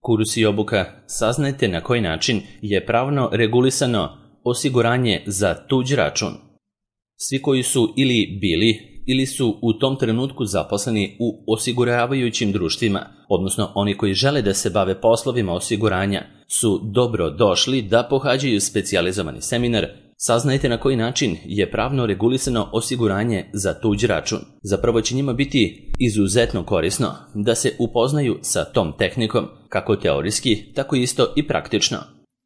Kurs i obuka, saznajte na koji način je pravno regulisano osiguranje za tuđ račun. Svi koji su ili bili ili su u tom trenutku zaposleni u osiguravajućim društvima, odnosno oni koji žele da se bave poslovima osiguranja, su dobro došli da pohađaju specijalizovani seminar Saznajte na koji način je pravno regulisano osiguranje za tuđ račun. Zapravo će njima biti izuzetno korisno da se upoznaju sa tom tehnikom, kako teorijski, tako isto i praktično.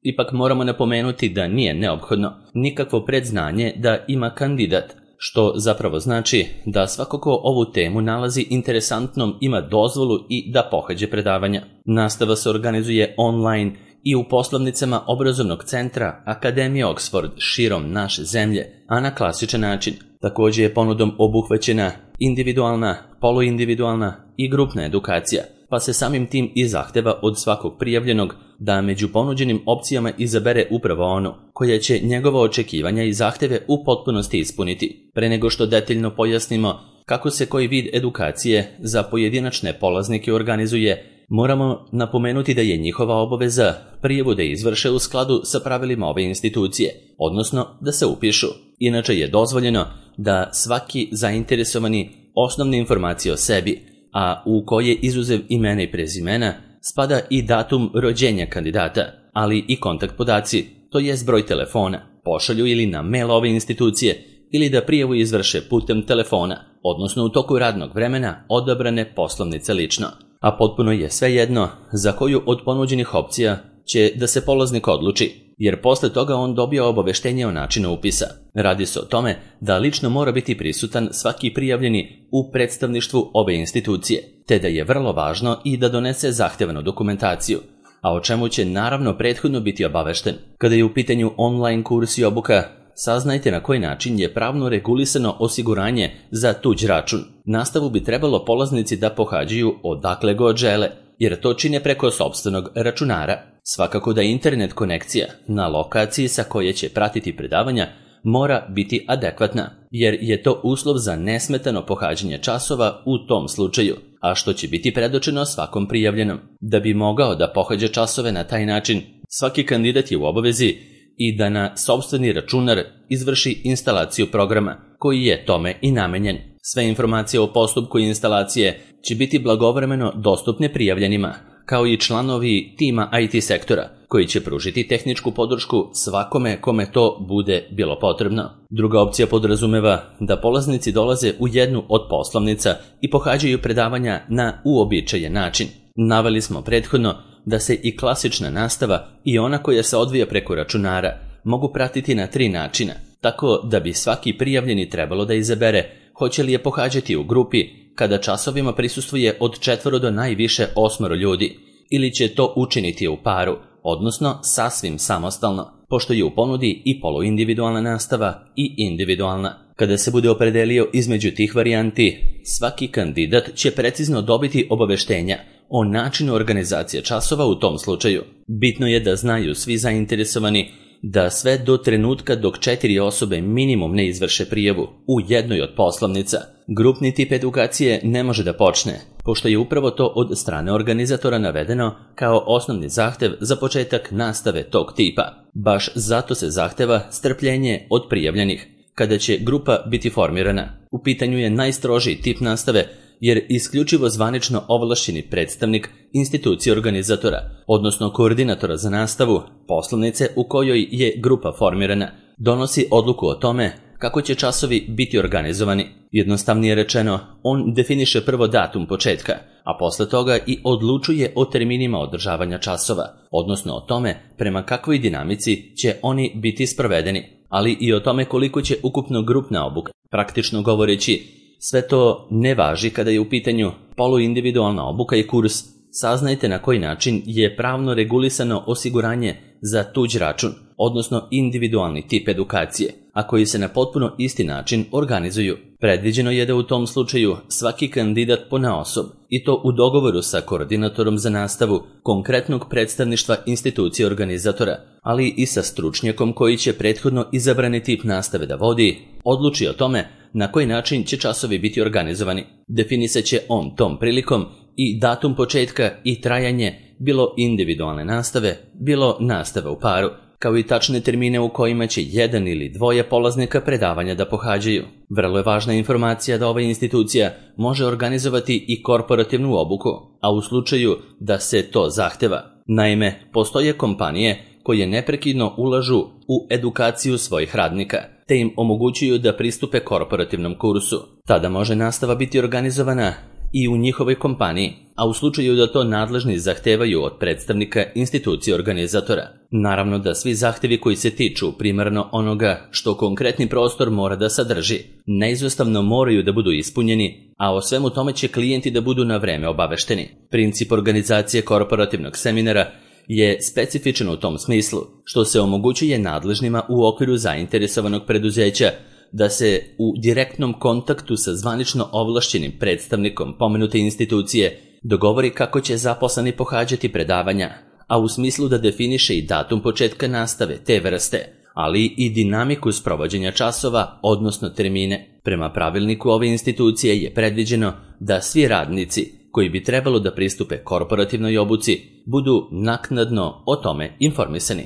Ipak moramo napomenuti da nije neophodno nikakvo predznanje da ima kandidat, što zapravo znači da svako ko ovu temu nalazi interesantnom ima dozvolu i da pohađe predavanja. Nastava se organizuje online i u poslovnicama obrazovnog centra Akademije Oxford širom naše zemlje, a na klasičan način. Također je ponudom obuhvaćena individualna, poluindividualna i grupna edukacija, pa se samim tim i zahteva od svakog prijavljenog da među ponuđenim opcijama izabere upravo onu koja će njegova očekivanja i zahteve u potpunosti ispuniti. Pre nego što detaljno pojasnimo kako se koji vid edukacije za pojedinačne polaznike organizuje, moramo napomenuti da je njihova obaveza prijavu da izvrše u skladu sa pravilima ove institucije, odnosno da se upišu. Inače je dozvoljeno da svaki zainteresovani osnovne informacije o sebi, a u koje izuzev imena i prezimena spada i datum rođenja kandidata, ali i kontakt podaci, to jest broj telefona, pošalju ili na mail ove institucije ili da prijavu izvrše putem telefona, odnosno u toku radnog vremena odabrane poslovnice lično. A potpuno je svejedno za koju od ponuđenih opcija će da se polaznik odluči, jer posle toga on dobija obaveštenje o načinu upisa. Radi se o tome da lično mora biti prisutan svaki prijavljeni u predstavništvu ove institucije, te da je vrlo važno i da donese zahtevanu dokumentaciju, a o čemu će naravno prethodno biti obavešten. Kada je u pitanju online kurs i obuka, saznajte na koji način je pravno regulisano osiguranje za tuđ račun. Nastavu bi trebalo polaznici da pohađaju odakle god žele, jer to čine preko sopstvenog računara. Svakako da internet konekcija na lokaciji sa koje će pratiti predavanja mora biti adekvatna, jer je to uslov za nesmetano pohađanje časova u tom slučaju, a što će biti predočeno svakom prijavljenom. Da bi mogao da pohađa časove na taj način, svaki kandidat je u obavezi i da na sopstveni računar izvrši instalaciju programa, koji je tome i namenjen. Sve informacije o postupku instalacije će biti blagovremeno dostupne prijavljenima, kao i članovi tima IT sektora, koji će pružiti tehničku podršku svakome kome to bude bilo potrebno. Druga opcija podrazumeva da polaznici dolaze u jednu od poslovnica i pohađaju predavanja na uobičajen način. Naveli smo prethodno da se i klasična nastava i ona koja se odvija preko računara mogu pratiti na 3 načina, tako da bi svaki prijavljeni trebalo da izabere hoće li je pohađati u grupi kada časovima prisustvuje od 4 do najviše 8 ljudi, ili će to učiniti u paru, odnosno sasvim samostalno, pošto je u ponudi i poluindividualna nastava i individualna. Kada se bude opredelio između tih varijanti, svaki kandidat će precizno dobiti obaveštenja o načinu organizacije časova u tom slučaju. Bitno je da znaju svi zainteresovani da sve do trenutka dok 4 osobe minimum ne izvrše prijavu u jednoj od poslovnica, grupni tip edukacije ne može da počne, pošto je upravo to od strane organizatora navedeno kao osnovni zahtev za početak nastave tog tipa. Baš zato se zahteva strpljenje od prijavljenih, kada će grupa biti formirana. U pitanju je najstrožiji tip nastave, jer isključivo zvanično ovlašćeni predstavnik institucije organizatora, odnosno koordinatora za nastavu poslovnice u kojoj je grupa formirana, donosi odluku o tome kako će časovi biti organizovani. Jednostavnije rečeno, on definiše prvo datum početka, a posle toga i odlučuje o terminima održavanja časova, odnosno o tome prema kakvoj dinamici će oni biti sprovedeni, ali i o tome koliko će ukupno grupna obuka. Praktično govoreći, sve to ne važi kada je u pitanju poluindividualna obuka i kurs. Saznajte na koji način je pravno regulisano osiguranje za tuđ račun, odnosno individualni tip edukacije, a koji se na potpuno isti način organizuju. Predviđeno je da u tom slučaju svaki kandidat ponaosob, i to u dogovoru sa koordinatorom za nastavu konkretnog predstavništva institucije organizatora, ali i sa stručnjakom koji će prethodno izabrani tip nastave da vodi, odluči o tome na koji način će časovi biti organizovani. Definisat će on tom prilikom i datum početka i trajanje bilo individualne nastave, bilo nastave u paru, kao i tačne termine u kojima će jedan ili dvoje polaznika predavanja da pohađaju. Vrlo je važna informacija da ova institucija može organizovati i korporativnu obuku, a u slučaju da se to zahteva. Naime, postoje kompanije koje neprekidno ulažu u edukaciju svojih radnika, te im omogućuju da pristupe korporativnom kursu. Tada može nastava biti organizovana i u njihovoj kompaniji, a u slučaju da to nadležni zahtevaju od predstavnika institucije organizatora. Naravno da svi zahtevi koji se tiču primarno onoga što konkretni prostor mora da sadrži, neizostavno moraju da budu ispunjeni, a o svemu tome će klijenti da budu na vreme obavešteni. Princip organizacije korporativnog seminara je specifičan u tom smislu, što se omogućuje nadležnima u okviru zainteresovanog preduzeća da se u direktnom kontaktu sa zvanično ovlašćenim predstavnikom pomenute institucije dogovori kako će zaposleni pohađati predavanja, a u smislu da definiše i datum početka nastave te vrste, ali i dinamiku sprovođenja časova, odnosno termine. Prema pravilniku ove institucije je predviđeno da svi radnici koji bi trebalo da pristupe korporativnoj obuci budu naknadno o tome informisani.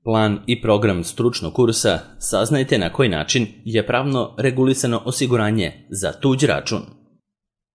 Plan i program stručnog kursa saznajte na koji način je pravno regulisano osiguranje za tuđ račun.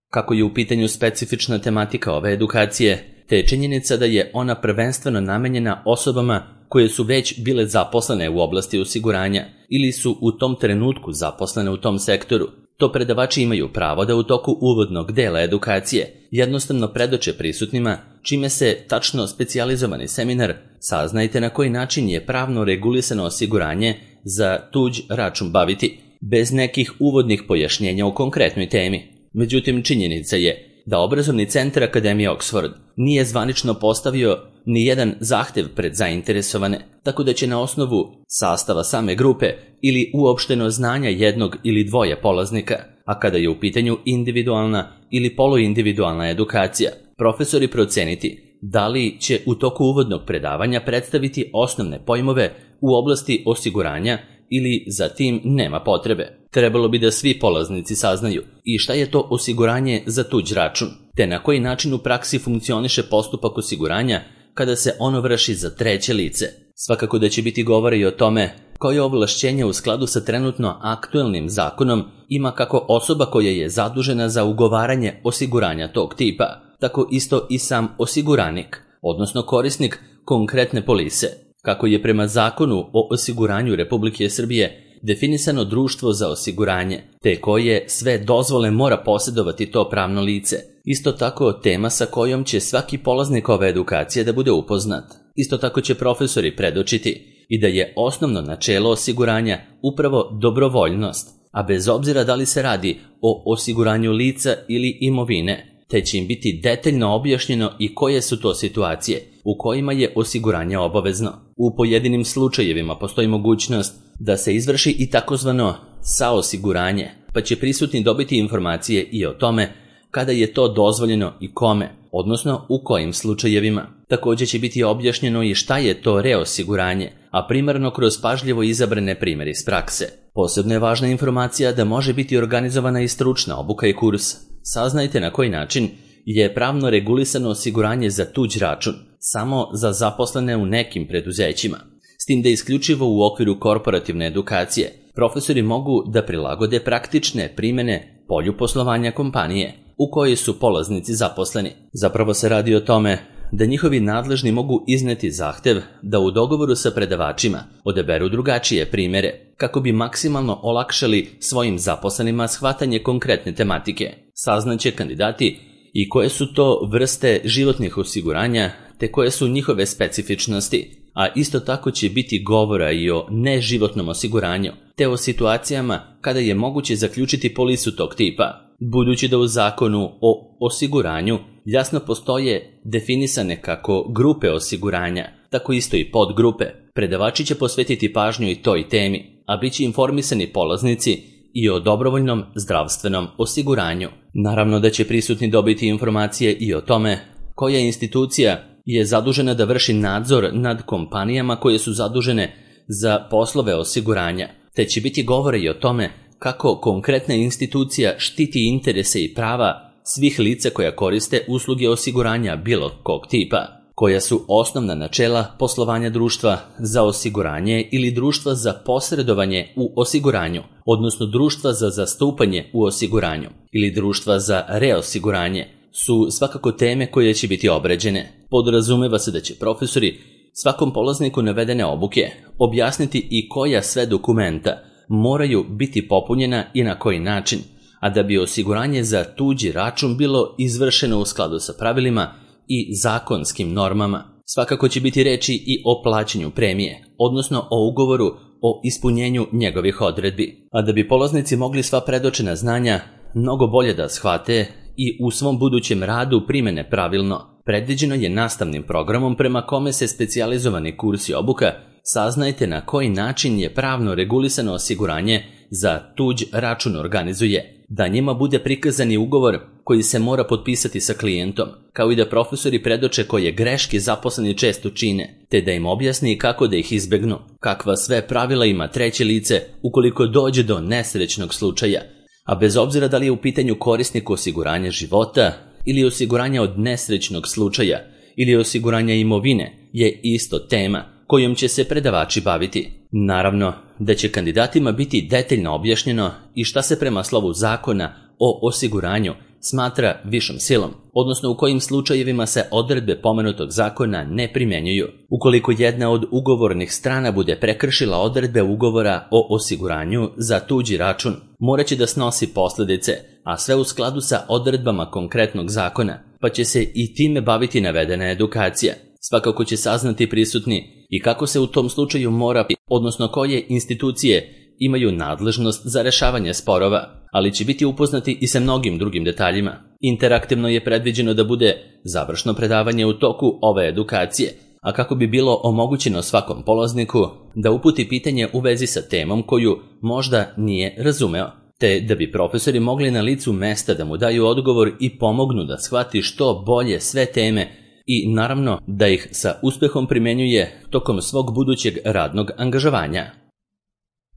Kako je u pitanju specifična tematika ove edukacije, te je činjenica da je ona prvenstveno namenjena osobama koje su već bile zaposlene u oblasti osiguranja ili su u tom trenutku zaposlene u tom sektoru, to predavači imaju pravo da u toku uvodnog dela edukacije jednostavno predoče prisutnima, čime se tačno specijalizovani seminar saznajte na koji način je pravno regulisano osiguranje za tuđ račun baviti, bez nekih uvodnih pojašnjenja u konkretnoj temi. Međutim, činjenica je da obrazovni centar Akademije Oxford nije zvanično postavio ni jedan zahtev pred zainteresovane, tako da će na osnovu sastava same grupe ili uopšteno znanja jednog ili dvoje polaznika, a kada je u pitanju individualna ili poluindividualna edukacija, profesori proceniti da li će u toku uvodnog predavanja predstaviti osnovne pojmove u oblasti osiguranja ili za tim nema potrebe. Trebalo bi da svi polaznici saznaju i šta je to osiguranje za tuđ račun, te na koji način u praksi funkcioniše postupak osiguranja kada se ono vrši za treće lice. Svakako da će biti govora i o tome koje ovlašćenje u skladu sa trenutno aktuelnim zakonom ima kako osoba koja je zadužena za ugovaranje osiguranja tog tipa, tako isto i sam osiguranik, odnosno korisnik konkretne polise, kako je prema Zakonu o osiguranju Republike Srbije definisano društvo za osiguranje, te koje sve dozvole mora posjedovati to pravno lice. Isto tako tema sa kojom će svaki polaznik ove edukacije da bude upoznat. Isto tako će profesori predočiti i da je osnovno načelo osiguranja upravo dobrovoljnost, a bez obzira da li se radi o osiguranju lica ili imovine, te će im biti detaljno objašnjeno i koje su to situacije u kojima je osiguranje obavezno. U pojedinim slučajevima postoji mogućnost da se izvrši i takozvano saosiguranje, pa će prisutni dobiti informacije i o tome kada je to dozvoljeno i kome, odnosno u kojim slučajevima. Također će biti objašnjeno i šta je to reosiguranje, a primarno kroz pažljivo izabrane primjere iz prakse. Posebno je važna informacija da može biti organizovana i stručna obuka i kurs. Saznajte na koji način je pravno regulisano osiguranje za tuđ račun, samo za zaposlene u nekim preduzećima. S tim da isključivo u okviru korporativne edukacije profesori mogu da prilagode praktične primjene polju poslovanja kompanije u kojoj su polaznici zaposleni. Zapravo se radi o tome da njihovi nadležni mogu izneti zahtev da u dogovoru sa predavačima odaberu drugačije primjere, kako bi maksimalno olakšali svojim zaposlenima shvatanje konkretne tematike. Saznaće kandidati i koje su to vrste životnih osiguranja, te koje su njihove specifičnosti, a isto tako će biti govora i o neživotnom osiguranju, te o situacijama kada je moguće zaključiti polisu tog tipa. Budući da u Zakonu o osiguranju jasno postoje definisane kako grupe osiguranja, tako isto i podgrupe, predavači će posvetiti pažnju i toj temi, a bit će informisani polaznici i o dobrovoljnom zdravstvenom osiguranju. Naravno da će prisutni dobiti informacije i o tome koja institucija je zadužena da vrši nadzor nad kompanijama koje su zadužene za poslove osiguranja, te će biti govora i o tome kako konkretna institucija štiti interese i prava svih lica koja koriste usluge osiguranja bilo kog tipa, koja su osnovna načela poslovanja društva za osiguranje ili društva za posredovanje u osiguranju, odnosno društva za zastupanje u osiguranju ili društva za reosiguranje, su svakako teme koje će biti obrađene. Podrazumeva se da će profesori svakom polazniku navedene obuke objasniti i koja sve dokumenta moraju biti popunjena i na koji način, a da bi osiguranje za tuđi račun bilo izvršeno u skladu sa pravilima i zakonskim normama. Svakako će biti reči i o plaćanju premije, odnosno o ugovoru o ispunjenju njegovih odredbi. A da bi polaznici mogli sva predočena znanja mnogo bolje da shvate i u svom budućem radu primene pravilno, predviđeno je nastavnim programom prema kome se specijalizovani kurs i obuka saznajte na koji način je pravno regulisano osiguranje za tuđ račun organizuje, da njima bude prikazani ugovor koji se mora potpisati sa klijentom, kao i da profesori predoče koje greške zaposleni često čine, te da im objasni kako da ih izbegnu, kakva sve pravila ima treće lice ukoliko dođe do nesrećnog slučaja, a bez obzira da li je u pitanju korisnik osiguranja života ili osiguranja od nesrećnog slučaja ili osiguranja imovine, je isto tema kojom će se predavači baviti. Naravno da će kandidatima biti detaljno objašnjeno i šta se prema slovu zakona o osiguranju smatra višom silom, odnosno u kojim slučajevima se odredbe pomenutog zakona ne primjenjuju. Ukoliko jedna od ugovornih strana bude prekršila odredbe ugovora o osiguranju za tuđi račun, morat će da snosi posljedice, a sve u skladu sa odredbama konkretnog zakona, pa će se i time baviti navedena edukacija. Svakako će saznati prisutni i kako se u tom slučaju mora, odnosno koje institucije imaju nadležnost za rešavanje sporova, ali će biti upoznati i sa mnogim drugim detaljima. Interaktivno je predviđeno da bude završno predavanje u toku ove edukacije, a kako bi bilo omogućeno svakom polazniku da uputi pitanje u vezi sa temom koju možda nije razumeo, te da bi profesori mogli na licu mesta da mu daju odgovor i pomognu da shvati što bolje sve teme i naravno da ih sa uspehom primenjuje tokom svog budućeg radnog angažovanja.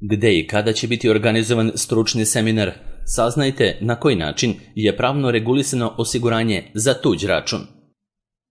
Gde i kada će biti organizovan stručni seminar, saznajte na koji način je pravno regulisano osiguranje za tuđ račun.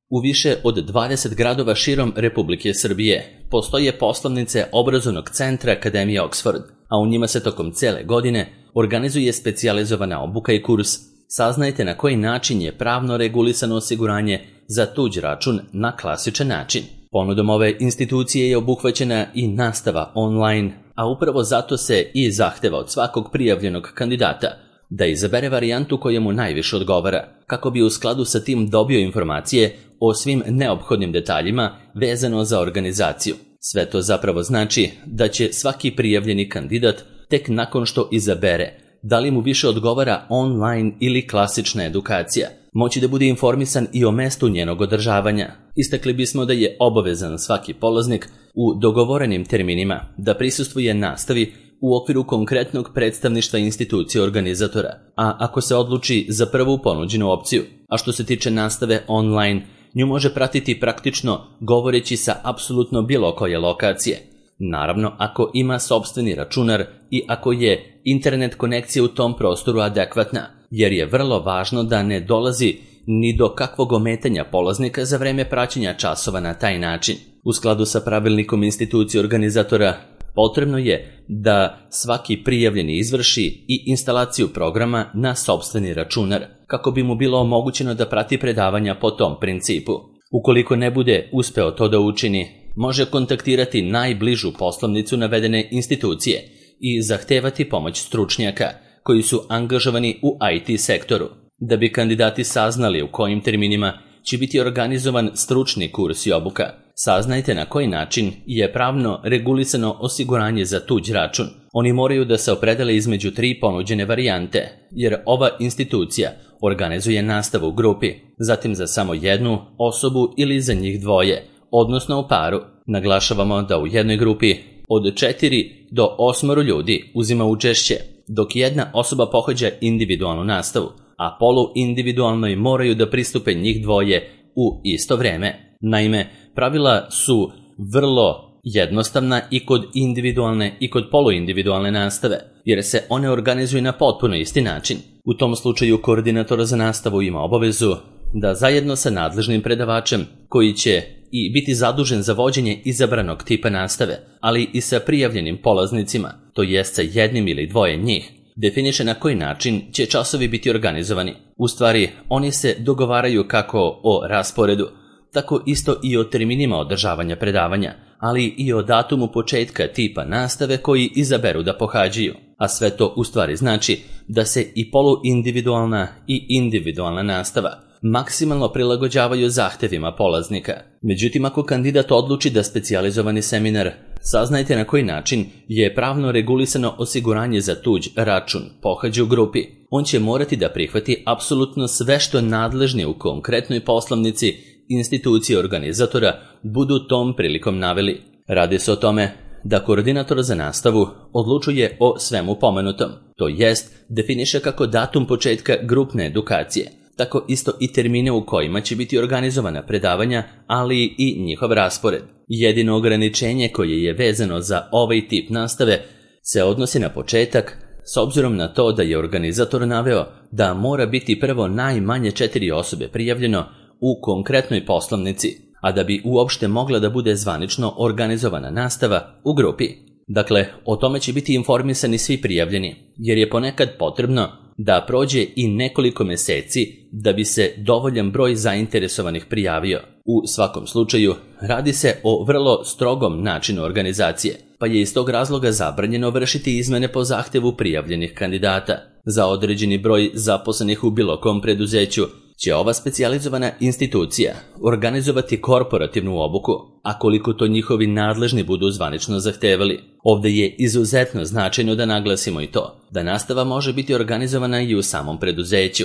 U više od 20 gradova širom Republike Srbije postoje poslovnice obrazovnog centra Akademije Oxford, a u njima se tokom cele godine organizuje specijalizovana obuka i kurs. Saznajte na koji način je pravno regulisano osiguranje za tuđ račun na klasičan način. Ponudom ove institucije je obuhvaćena i nastava online, a upravo zato se i zahteva od svakog prijavljenog kandidata da izabere varijantu koja mu najviše odgovara, kako bi u skladu sa tim dobio informacije o svim neophodnim detaljima vezano za organizaciju. Sve to zapravo znači da će svaki prijavljeni kandidat tek nakon što izabere da li mu više odgovara online ili klasična edukacija, moći da bude informisan i o mestu njenog održavanja. Istakli bismo da je obavezan svaki polaznik u dogovorenim terminima da prisustvuje nastavi u okviru konkretnog predstavništva institucije organizatora, a ako se odluči za prvu ponuđenu opciju, a što se tiče nastave online, nju može pratiti praktično govoreći sa apsolutno bilo koje lokacije. Naravno, ako ima sopstveni računar i ako je internet konekcija u tom prostoru adekvatna, jer je vrlo važno da ne dolazi ni do kakvog ometanja polaznika za vreme praćenja časova na taj način. U skladu sa pravilnikom institucije organizatora, potrebno je da svaki prijavljeni izvrši i instalaciju programa na sopstveni računar, kako bi mu bilo omogućeno da prati predavanja po tom principu. Ukoliko ne bude uspeo to da učini, može kontaktirati najbližu poslovnicu navedene institucije i zahtevati pomoć stručnjaka koji su angažovani u IT sektoru. Da bi kandidati saznali u kojim terminima će biti organizovan stručni kurs i obuka, saznajte na koji način je pravno regulisano osiguranje za tuđ račun. Oni moraju da se opredele između 3 ponuđene varijante, jer ova institucija organizuje nastavu u grupi, zatim za samo jednu osobu ili za njih dvoje, odnosno u paru. Naglašavamo da u jednoj grupi od 4 do 8 ljudi uzima učešće, dok jedna osoba pohađa individualnu nastavu, a poluindividualnoj moraju da pristupe njih dvoje u isto vreme. Naime, pravila su vrlo jednostavna i kod individualne i kod poluindividualne nastave, jer se one organizuju na potpuno isti način. U tom slučaju koordinator za nastavu ima obavezu da zajedno sa nadležnim predavačem, koji će i biti zadužen za vođenje izabranog tipa nastave, ali i sa prijavljenim polaznicima, to jest sa jednim ili dvoje njih, definiše na koji način će časovi biti organizovani. U stvari, oni se dogovaraju kako o rasporedu, tako isto i o terminima održavanja predavanja, ali i o datumu početka tipa nastave koji izaberu da pohađaju. A sve to u stvari znači da se i poluindividualna i individualna nastava maksimalno prilagođavaju zahtevima polaznika. Međutim, ako kandidat odluči da specijalizovani seminar, saznajte na koji način je pravno regulisano osiguranje za tuđ račun pohađa u grupi. On će morati da prihvati apsolutno sve što nadležni u konkretnoj poslovnici institucije organizatora budu tom prilikom naveli. Radi se o tome da koordinator za nastavu odlučuje o svemu pomenutom, to jest definiše kako datum početka grupne edukacije, tako isto i termine u kojima će biti organizovana predavanja, ali i njihov raspored. Jedino ograničenje koje je vezano za ovaj tip nastave se odnosi na početak, s obzirom na to da je organizator naveo da mora biti prvo najmanje 4 osobe prijavljeno u konkretnoj poslovnici, a da bi uopšte mogla da bude zvanično organizovana nastava u grupi. Dakle, o tome će biti informisani svi prijavljeni, jer je ponekad potrebno da prođe i nekoliko meseci da bi se dovoljan broj zainteresovanih prijavio. U svakom slučaju, radi se o vrlo strogom načinu organizacije, pa je iz tog razloga zabranjeno vršiti izmene po zahtevu prijavljenih kandidata. Za određeni broj zaposlenih u bilo kom preduzeću će ova specijalizovana institucija organizovati korporativnu obuku, a koliko to njihovi nadležni budu zvanično zahtevali. Ovde je izuzetno značajno da naglasimo i to, da nastava može biti organizovana i u samom preduzeću,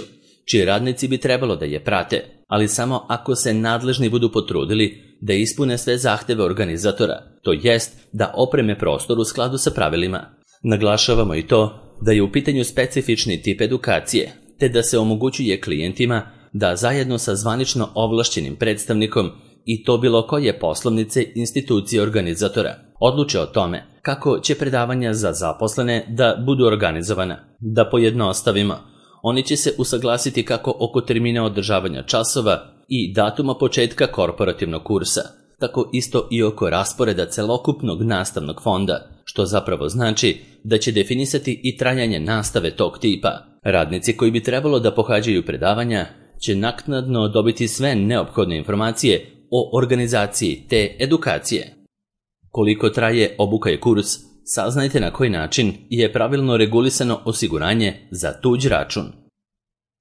čiji radnici bi trebalo da je prate, ali samo ako se nadležni budu potrudili da ispune sve zahteve organizatora, to jest da opreme prostor u skladu sa pravilima. Naglašavamo i to da je u pitanju specifični tip edukacije, te da se omogućuje klijentima da zajedno sa zvanično ovlašćenim predstavnikom i to bilo koje poslovnice institucije organizatora odluče o tome kako će predavanja za zaposlene da budu organizovana. Da pojednostavimo, oni će se usaglasiti kako oko termina održavanja časova i datuma početka korporativnog kursa, tako isto i oko rasporeda celokupnog nastavnog fonda, što zapravo znači da će definisati i trajanje nastave tog tipa. Radnici koji bi trebalo da pohađaju predavanja će naknadno dobiti sve neophodne informacije o organizaciji te edukacije. Koliko traje obuka i kurs, saznajte na koji način je pravilno regulisano osiguranje za tuđ račun.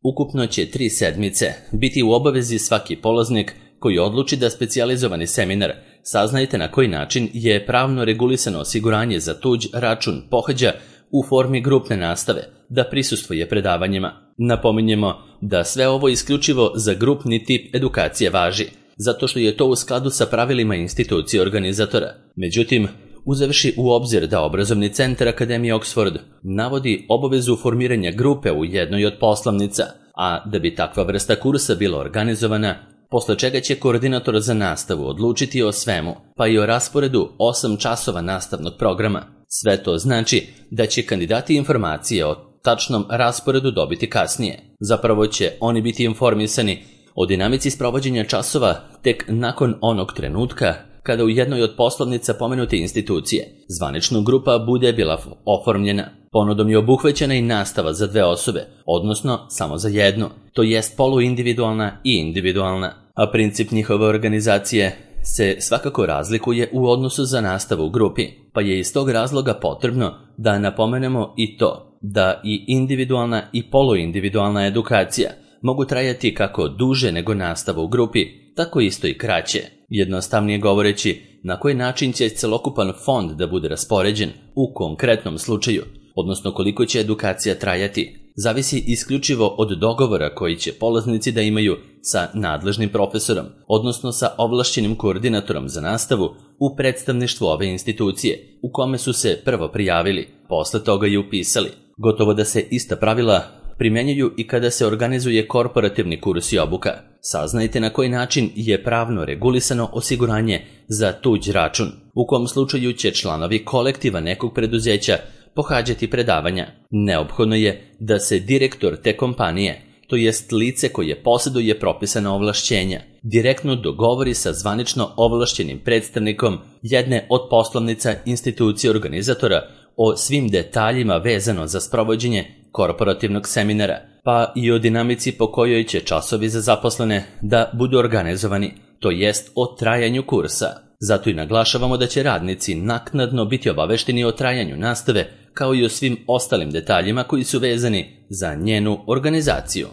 Ukupno će 3 sedmice biti u obavezi svaki polaznik koji odluči da specijalizovani seminar, saznajte na koji način je pravno regulisano osiguranje za tuđ račun pohađa u formi grupne nastave, da prisustvuje predavanjima. Napominjemo da sve ovo isključivo za grupni tip edukacije važi, zato što je to u skladu sa pravilima institucije organizatora. Međutim, uzevši u obzir da obrazovni centar Akademije Oxford navodi obavezu formiranja grupe u jednoj od poslovnica, a da bi takva vrsta kursa bila organizovana, posle čega će koordinator za nastavu odlučiti o svemu, pa i o rasporedu 8 časova nastavnog programa. Sve to znači da će kandidati informacije o tačnom rasporedu dobiti kasnije. Zapravo će oni biti informisani o dinamici sprovođenja časova tek nakon onog trenutka kada u jednoj od poslovnica pomenute institucije zvanična grupa bude bila oformljena. Ponudom je obuhvaćena i nastava za 2 osobe, odnosno samo za jednu, to jest poluindividualna i individualna, a princip njihove organizacije se svakako razlikuje u odnosu za nastavu u grupi, pa je iz tog razloga potrebno da napomenemo i to da i individualna i poluindividualna edukacija mogu trajati kako duže nego nastava u grupi, tako isto i kraće. Jednostavnije govoreći, na koji način će celokupan fond da bude raspoređen u konkretnom slučaju, odnosno koliko će edukacija trajati, zavisi isključivo od dogovora koji će polaznici da imaju sa nadležnim profesorom, odnosno sa ovlašćenim koordinatorom za nastavu u predstavništvu ove institucije, u kome su se prvo prijavili, posle toga i upisali. Gotovo da se ista pravila primjenjuju i kada se organizuje korporativni kurs i obuka. Saznajte na koji način je pravno regulisano osiguranje za tuđ račun, u kom slučaju će članovi kolektiva nekog preduzeća pohađati predavanja. Neophodno je da se direktor te kompanije, to jest lice koje posjeduje propisana ovlašćenja, direktno dogovori sa zvanično ovlašćenim predstavnikom jedne od poslovnica institucije organizatora o svim detaljima vezano za sprovođenje korporativnog seminara, pa i o dinamici po kojoj će časovi za zaposlene da budu organizovani, to jest o trajanju kursa. Zato i naglašavamo da će radnici naknadno biti obavešteni o trajanju nastave, kao i o svim ostalim detaljima koji su vezani za njenu organizaciju.